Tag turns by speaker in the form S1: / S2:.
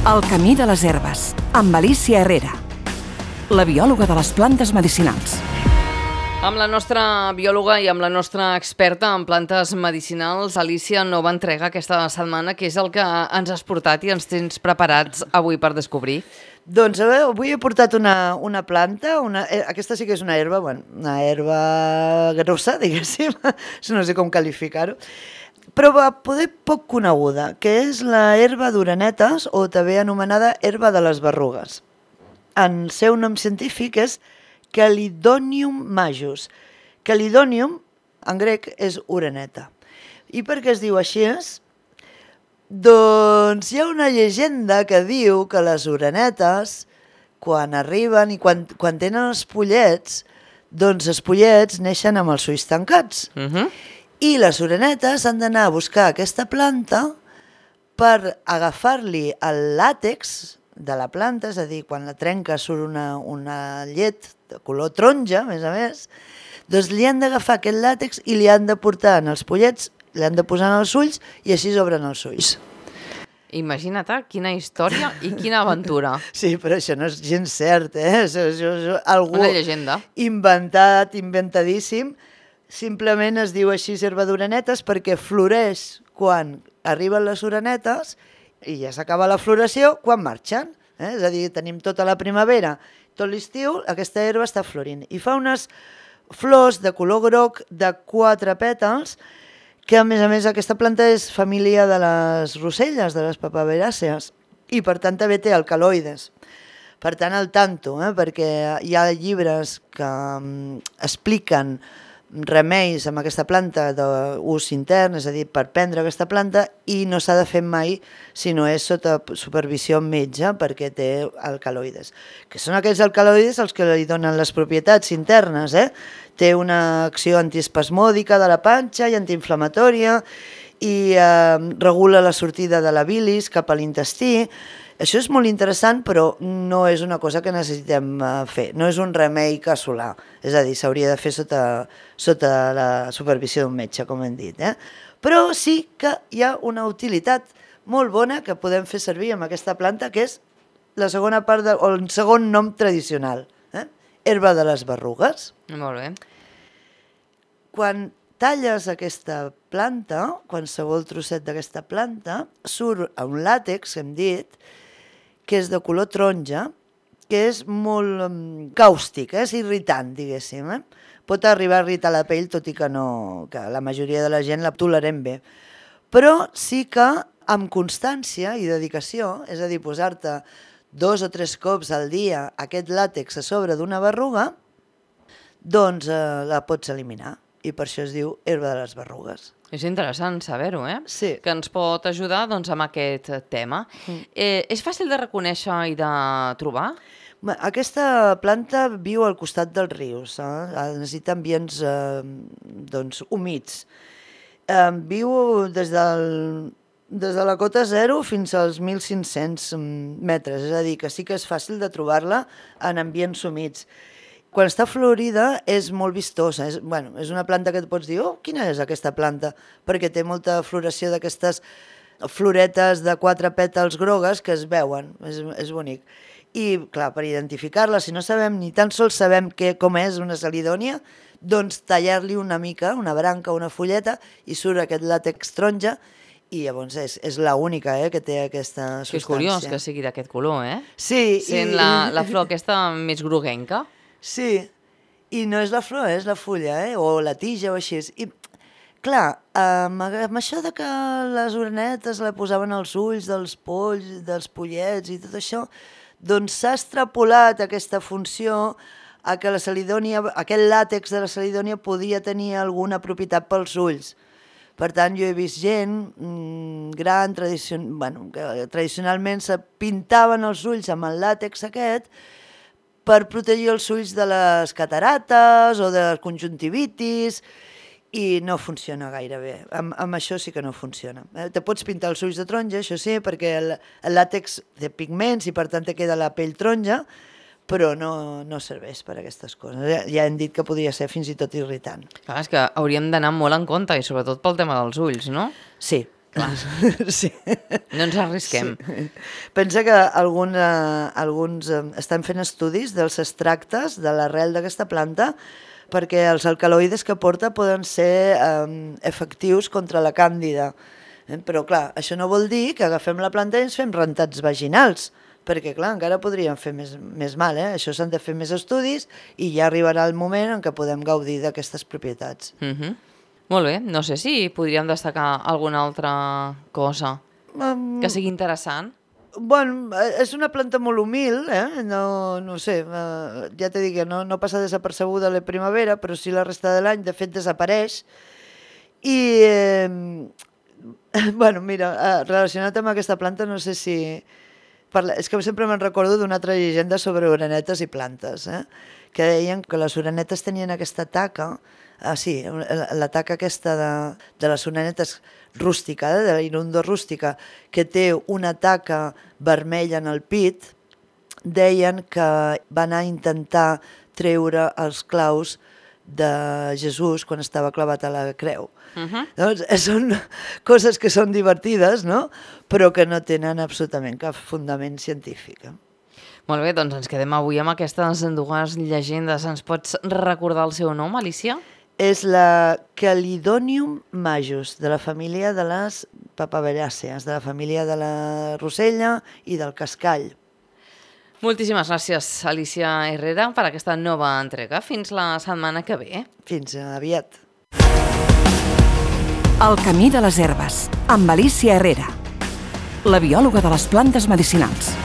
S1: El camí de les herbes, amb Alicia Herrera, la biòloga de les plantes medicinals.
S2: Amb la nostra biòloga i amb la nostra experta en plantes medicinals, Alicia, nova entrega aquesta setmana, que és el que ens has portat i ens tens preparats avui per descobrir.
S3: Doncs avui he portat una planta, aquesta sí que és una herba, una herba grossa, diguéssim, no sé com qualificar-ho, però poder poc coneguda, que és la herba d'orenetes, o també anomenada herba de les berrugues. El seu nom científic és Chelidonium majus. Chelidonium, en grec, és oreneta. I per què es diu així? Doncs hi ha una llegenda que diu que les orenetes, quan arriben i quan tenen els pollets, doncs els pollets neixen amb els ulls tancats. I les orenetes han d'anar a buscar aquesta planta per agafar-li el làtex de la planta, és a dir, quan la trenca surt una llet de color taronja, a més, doncs li han d'agafar aquest làtex i li han de portar en els pollets, li han de posar en els ulls i així s'obren els ulls.
S2: Imagina't quina història i quina aventura.
S3: Sí, però això no és gens cert, És algú
S2: una llegenda.
S3: Inventadíssim. Simplement es diu així herba d'orenetes perquè floreix quan arriben les orenetes i ja s'acaba la floració quan marxen. És a dir, tenim tota la primavera, tot l'estiu, aquesta herba està florint. I fa unes flors de color groc de 4 pètals, que a més aquesta planta és família de les roselles, de les papaveràcees, i per tant també té alcaloides. Per tant, al tanto, perquè hi ha llibres que expliquen remeis amb aquesta planta d'ús intern, és a dir, per prendre aquesta planta, i no s'ha de fer mai si no és sota supervisió metge perquè té alcaloides. Que són aquells alcaloides els que li donen les propietats internes, Té una acció antiespasmòdica de la panxa i antiinflamatòria i regula la sortida de la bilis cap a l'intestí. Això és molt interessant, però no és una cosa que necessitem fer, no és un remei casolà, és a dir, s'hauria de fer sota la supervisió d'un metge, com hem dit. Però sí que hi ha una utilitat molt bona que podem fer servir amb aquesta planta, que és la segona part, o el segon nom tradicional, herba de les berrugues.
S2: Molt bé.
S3: Quan talles aquesta planta, qualsevol trosset d'aquesta planta, surt un làtex, hem dit, que és de color taronja, que és molt càustic, és irritant, diguéssim. Pot arribar a irritar la pell, tot i que la majoria de la gent la tolerem bé. Però sí que amb constància i dedicació, és a dir, posar-te 2 o 3 cops al dia aquest làtex a sobre d'una berruga, doncs la pots eliminar. I per això es diu herba de les berrugues.
S2: És interessant saber-ho,
S3: Sí.
S2: Que ens pot ajudar amb aquest tema. És fàcil de reconèixer i de trobar?
S3: Aquesta planta viu al costat dels rius, necessita ambients humits. Viu des de la cota 0 fins als 1.500 metres, és a dir, que sí que és fàcil de trobar-la en ambients humits. Quan està florida és molt vistosa, és una planta que et pots dir, quina és aquesta planta? Perquè té molta floració d'aquestes floretes de 4 pètals grogues que es veuen, és bonic. I, clar, per identificar-la, si no sabem, ni tan sols sabem com és una celidònia, doncs tallar-li una mica, una branca, una fulleta, i surt aquest làtex taronja, i llavors és l'única que té aquesta substància.
S2: Que és curiós que sigui d'aquest color,
S3: Sí.
S2: Sent la flor aquesta més groguenca.
S3: Sí, i no és la flor, és la fulla, o la tija o així. I, clar, amb això de que les orenetes la posaven als ulls dels polls, dels pollets i tot això, doncs s'ha extrapolat aquesta funció a que la celidònia, aquest làtex de la celidònia podia tenir alguna propietat pels ulls. Per tant, jo he vist gent gran, que tradicionalment se pintaven els ulls amb el làtex aquest per protegir els ulls de les catarates o de la conjuntivitis, i no funciona gaire bé. Amb això sí que no funciona. Te pots pintar els ulls de taronja, això sí, perquè el làtex té pigments i per tant te queda la pell taronja, però no serveix per a aquestes coses. Ja hem dit que podria ser fins i tot irritant.
S2: Clar, és que hauríem d'anar molt en compte, i sobretot pel tema dels ulls, no?
S3: Sí,
S2: Clar.
S3: Sí.
S2: No ens arrisquem.
S3: Sí. Pensa que alguns estan fent estudis dels extractes de l'arrel d'aquesta planta perquè els alcaloides que porta poden ser efectius contra la càndida. Però clar, això no vol dir que agafem la planta i ens fem rentats vaginals, perquè clar, encara podrien fer més mal. Això s'han de fer més estudis i ja arribarà el moment en què podem gaudir d'aquestes propietats.
S2: Molt bé, no sé si podríem destacar alguna altra cosa que sigui interessant.
S3: Bueno, és una planta molt humil, no sé, ja t'he dit que no passa desapercebuda a la primavera, però sí la resta de l'any, de fet desapareix. I, bueno, mira, relacionat amb aquesta planta, no sé si... És que sempre me'n recordo d'una altra llegenda sobre orenetes i plantes, que deien que les orenetes tenien aquesta taca, la taca aquesta de les orenetes rústica, de la irundo rústica, que té una taca vermella en el pit, deien que va anar a intentar treure els claus de Jesús quan estava clavat a la creu. Doncs són coses que són divertides, no? Però que no tenen absolutament cap fundament científic.
S2: Molt bé, doncs ens quedem avui amb aquestes dues llegendes. Ens pots recordar el seu nom, Alicia?
S3: És la Calidonium majus, de la família de les papaveràcees, de la família de la rosella i del cascall.
S2: Moltíssimes gràcies, Alicia Herrera, per aquesta nova entrega. Fins la setmana que ve.
S3: Fins aviat.
S1: El camí de les herbes, amb Alicia Herrera, la biòloga de les plantes medicinals.